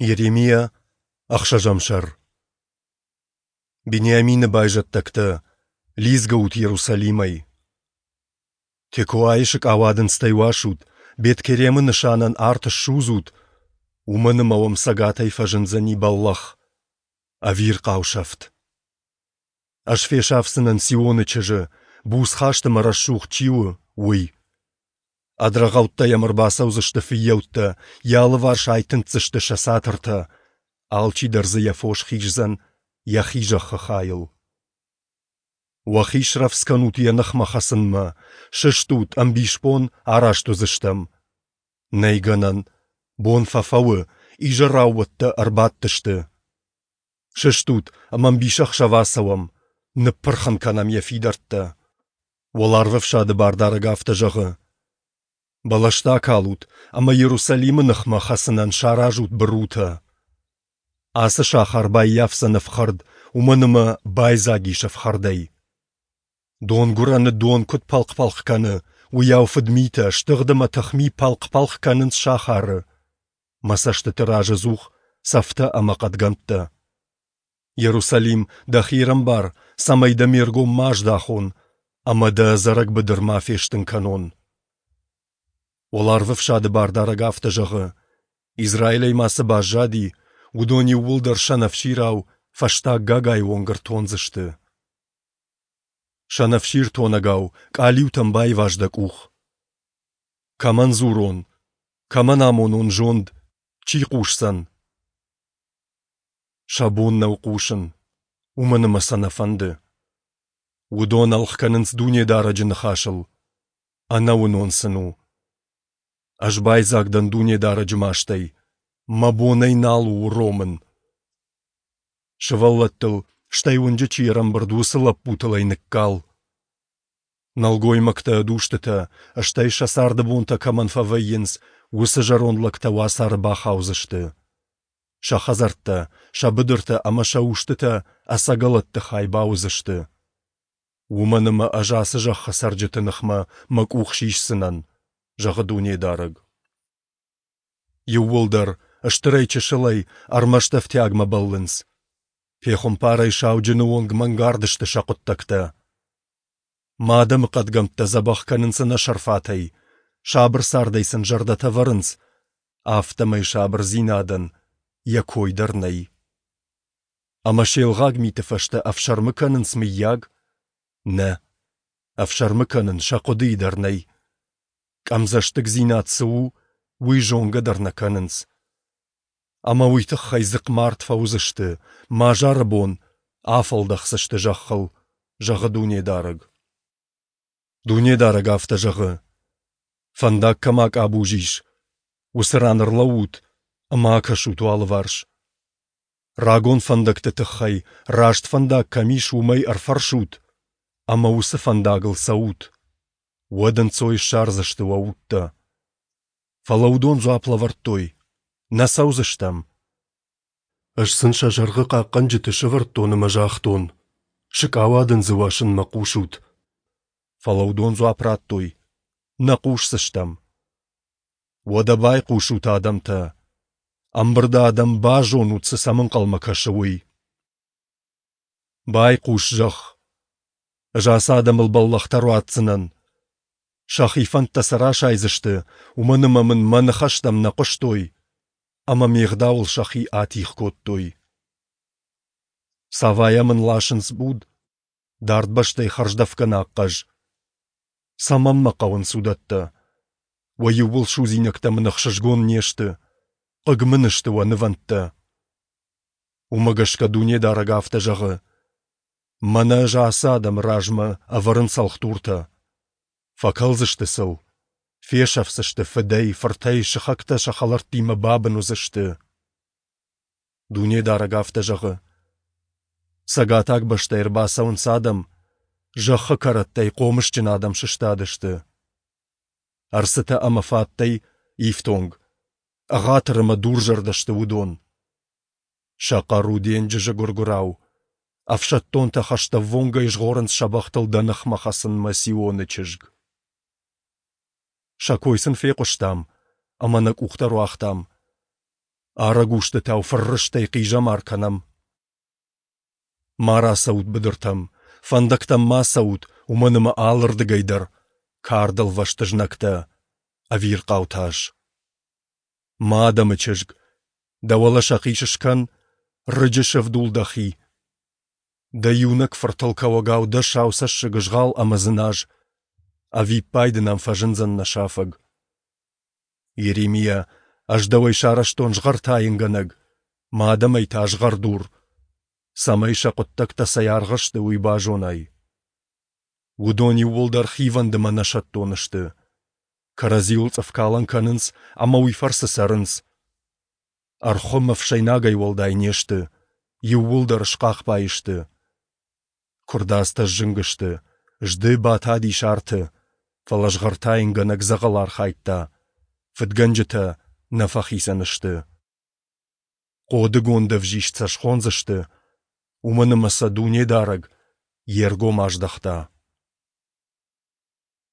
Йеремиа, ӕхсӕзӕм сӕр. Бениамины байзӕддӕгтӕ, лидзгӕут Иерусалимӕй! Текоайы сыкъауадындзтӕй уасут, Бет-Керемы нысанӕн арт ссудзут, уымӕн ӕмӕ уӕм цӕгатӕй фӕзындзӕни бӕллӕх, ӕвирхъау сӕфт. Ӕз фесафдзынӕн Сионы чызджы, буцхаст ӕмӕ рӕсугъд чи у, уый. Ӕд рӕгъӕуттӕ йӕм ӕрбацӕудзысты фыййӕуттӕ, йӕ алыварс айтындздзысты сӕ цатыртӕ, алчидӕр дзы йӕ фос хиздзӕн йӕхи зӕххы хайыл. Уӕхи срӕвдз кӕнут йӕ ныхмӕ хӕцынмӕ, сыстут, ӕмбисбон араст уыдзыстӕм. Нӕй гӕнӕн, бон фӕфӕуы, изӕраууӕттӕ ӕрбадтысты. Сыстут ӕмӕ ӕмбисӕхсӕв ацӕуӕм, ныппырх ын кӕнӕм йӕ фидӕрттӕ. Уӕларвӕфсады Бардарӕг афтӕ зӕгъы: Бӕлӕстӕ акалут ӕмӕ Иерусалимы ныхмӕ хӕцынӕн саразут бырутӕ. Ацы сахар баййафдзӕн ӕфхӕрд, уымӕн ӕмӕ байдзаг ис ӕфхӕрдӕй. Донгуырӕны дон куыд пӕлхъ-пӕлхъ кӕны, уыйау фыдмитӕ, стыгъд ӕмӕ тыхми пӕлхъ-пӕлхъ кӕнынц сахары. Мӕ цӕстыты раз ӕдзух цӕфтӕ ӕмӕ хъӕдгӕмттӕ. Иерусалим, дӕхи ӕрӕмбар, цӕмӕй дӕ ме ргом ма аздахон ӕмӕ дӕ ӕдзӕрӕг быдыр ма фестын кӕнон. Уӕларвӕфсады Бардарӕг афтӕ зӕгъы: Израилӕй ма цы баззади, уыдон иууылдӕр сӕнӕфсирау фӕстаг гагайы онг ӕртондзысты. Сӕнӕфсир тонӕгау къалиутӕм байваз дӕ къух. Кӕмӕн дзурон, кӕмӕн амонон зонд, чи хъусдзӕн? Сӕ бон нӕу хъусын, уымӕн ӕмӕ сӕ нӕ фӕнды. Уыдон ӕлгъ кӕнынц Дунедарӕджы ныхасыл, ӕнӕуынон сын у. Ӕз байдзаг дӕн Дунедарӕджы мастӕй, мӕ бон ӕй нал у уромын. Сывӕллӕттыл, стӕй уынджы чи ӕрӕмбырд, уыцы лӕппутыл ӕй ныккал. Нӕлгоймӕгтӕ ӕд устытӕ, стӕй сӕ царды бонтӕ кӕмӕн фӕвӕййынц, уыцы зӕронд лӕгтӕ уацары бахаудзысты. Сӕ хӕдзӕрттӕ, сӕ быдыртӕ ӕмӕ сӕ устытӕ ӕцӕгӕлӕтты хай бауыдзысты. Уымӕн ӕмӕ ӕз ацы зӕххы цӕрджыты ныхмӕ мӕ къух сисдзынӕн, зӕгъы Дунедарӕг. Иууылдӕр, стырӕй-чысылӕй, ӕрмӕст ӕфтиагмӕ бӕллынц. Пехуымпарӕй сауджыны онг мӕнгард сты сӕ хъуыддӕгтӕ. Мӕ адӕмы хъӕдгӕмттӕ дзӕбӕх кӕнынц ӕнӕсӕрфатӕй, сабыр цардӕй сын зӕрдӕтӕ вӕрынц, афтӕмӕй сабырдзинадӕн йӕ кой дӕр нӕй. Ӕмӕ се лгъаг миты фӕстӕ ӕфсӕрмы кӕнынц, мыййаг? Нӕ, ӕфсӕрмы кӕнын сӕ хъуыдыйы дӕр нӕй. Къӕмдзӕстыгдзинад цы у, уый зонгӕ дӕр нӕ кӕнынц. Ӕмӕ уый тыххӕй дзыхъмард фӕуыдзысты, мӕ азары бон афӕлдӕхдзысты зӕххыл, зӕгъы Дунедарӕг. Дунедарӕг афтӕ зӕгъы: Фӕндаг кӕм акъабуз ис, уыцы ран ӕрлӕуут ӕмӕ акӕсут уӕ алыварс. Рагон фӕндӕгты тыххӕй, раст фӕндаг кӕм ис, уымӕй ӕрфӕрсут ӕмӕ уыцы фӕндагыл цӕут. Уӕд ӕнцой ссардзысты уӕ удтӕ. Фӕлӕ уыдон дзуапп лӕвӕрдтой: Нӕ цӕудзыстӕм. Ӕз сын сӕ сӕргъы хъахъхъӕнджыты сӕвӕрдтон ӕмӕ загътон: Сыкъауадындзы уасынмӕ хъусут. Фӕлӕ уыдон дзуапп радтой: Нӕ хъусдзыстӕм. Уӕдӕ байхъусут, адӕмтӕ! Ӕмбырды адӕм, базонут, цы сӕм ӕнхъӕлмӕ кӕсы, уый. Байхъус, зӕхх! Ӕз ацы адӕмыл бӕллӕхтӕ руадздзынӕн. Сӕхи фӕндтӕ сӕ расайдзысты, уымӕн ӕмӕ мын мӕ ныхӕстӕм нӕ хъуыстой ӕмӕ ме гъдауыл сӕхи атигъ кодтой. Савайӕ мын ласынц буд, дард бӕстӕй хӕрздӕфгӕнаг хъӕз. Цӕмӕн мӕ хъӕуынц уыдӕттӕ? Уӕ иууыл судзинӕгтӕ мын ӕхсызгон не сты, хъыг мын сты уӕ нывӕндтӕ. Уымӕ гӕсгӕ Дунедарӕг афтӕ зӕгъы: Мӕнӕ ӕз ацы адӕмы размӕ ӕвӕрын цӕлхдуртӕ. Фӕкӕлдзысты сыл, фесӕфдзысты фыдӕй, фыртӕй, сыхӕгтӕ сӕ хӕлӕрттимӕ бабын уыдзысты. Дунедарӕг афтӕ зӕгъы: Цӕгатаг бӕстӕй ӕрбацӕуынц адӕм, зӕххы кӕрӕттӕй хъомысджын адӕм сыстадысты. Ӕрцытӕ ӕмӕ фаттӕй ифтонг, ӕгъатыр ӕмӕ дурзӕрдӕ сты уыдон. Сӕ хъӕр у денджызы гуыр-гуырау. Ӕфсӕддонтӕ хӕстӕввонгӕй згъорынц сӕ бӕхтыл дӕ ныхмӕ хӕцынмӕ Сионы чызг. Сӕ кой сын фехъуыстам ӕмӕ нӕ къухтӕ руагътам. Арӕг устытау фыррыстӕй хъизӕмар кӕнӕм. Ма рацӕут быдыртӕм, фӕндӕгтӕм ма цӕут, уымӕн ӕмӕ алырдыгӕй дӕр кардӕлвӕст знӕгтӕ, ӕвирхъау тас. Мӕ адӕмы чызг, дӕ уӕлӕ сӕхъис скӕн, рыджы сӕвдул дӕхи. Дӕ иунӕг фыртыл кӕуӕгау дӕ сау цӕссыг згъал ӕмӕ дзыназ. Ӕвиппайды нӕм фӕзындзӕн нӕ сафӕг. Йеремиа, ӕз дӕуӕй сарӕзтон згъӕртайынгӕнӕг, мӕ адӕмӕй та згъӕрдур, цӕмӕй сӕ хъуыддӕгтӕ цӕй аргъ сты, уый базонай. Уыдон иууылдӕр хивӕнд ӕмӕ нӕсӕттон сты. Кӕрӕдзиуыл цъыфкалӕн кӕнынц ӕмӕ уый фӕрцы цӕрынц. Ӕрхуым ӕфсӕйнагӕй уӕлдай не сты, иууылдӕр схъахбай сты. Куырдадзтӕ сзынг сты, зды батадис арты, фӕлӕ згъӕртайынгӕнӕг дзӕгъӕл архайдта, фыдгӕнджытӕ нӕ фӕхицӕн сты. Хъодыгонд ӕвзист сӕ схондзысты, уымӕн ӕмӕ сӕ Дунедарӕг йе ргом аздӕхта.